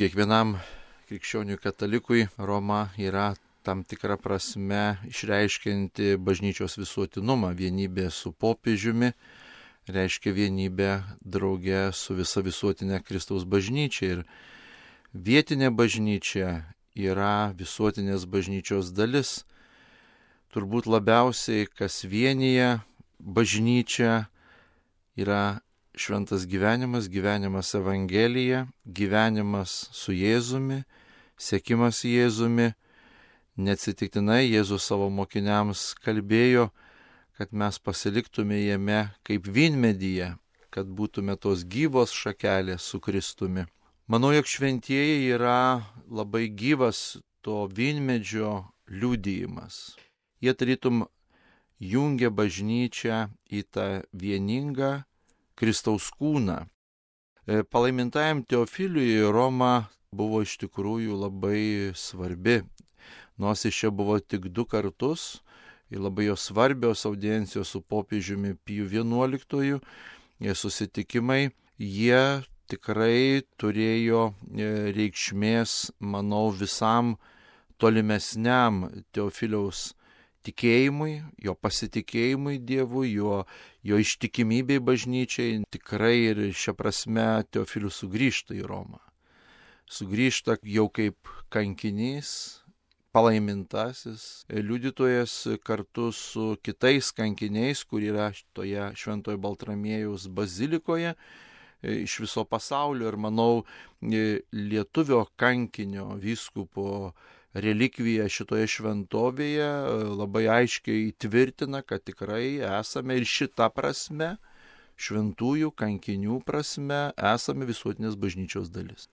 Kiekvienam krikščioniui katalikui Roma yra tam tikra prasme išreiškianti bažnyčios visuotinumą, vienybė su popiežiumi, reiškia vienybę drauge su visa visuotinė Kristaus bažnyčia. Ir vietinė bažnyčia yra visuotinės bažnyčios dalis. Turbūt labiausiai, kas vienyje bažnyčią, yra šventas gyvenimas, gyvenimas Evangelija, gyvenimas su Jėzumi, sekimas Jėzumi. Neatsitiktinai Jėzus savo mokiniams kalbėjo, kad mes pasiliktume jame kaip vynmedyje, kad būtume tos gyvos šakelės su Kristumi. Manau, jog šventieji yra labai gyvas to vynmedžio liudijimas. Jie tarytum jungia bažnyčią į tą vieningą Kristaus kūną. Palaimintajam Teofiliui Roma buvo iš tikrųjų labai svarbi. Nors iš čia buvo tik 2 kartus, ir labai jo svarbios audiencijos su popiežiumi Piju XI, susitikimai, jie tikrai turėjo reikšmės, manau, visam tolimesniam Teofiliaus tikėjimui, jo pasitikėjimui Dievu, jo ištikimybei bažnyčiai. Tikrai ir šia prasme Teofilius sugrįžta į Romą. Sugrįžta jau kaip kankinys, palaimintasis liudytojas kartu su kitais kankiniais, kur yra toje Šventojo Baltramiejaus bazilikoje iš viso pasaulio. Ir manau, lietuvio kankinio vyskupo relikvija šitoje šventovėje labai aiškiai įtvirtina, kad tikrai esame ir šita prasme, šventųjų kankinių prasme, esame visuotinės bažnyčios dalis.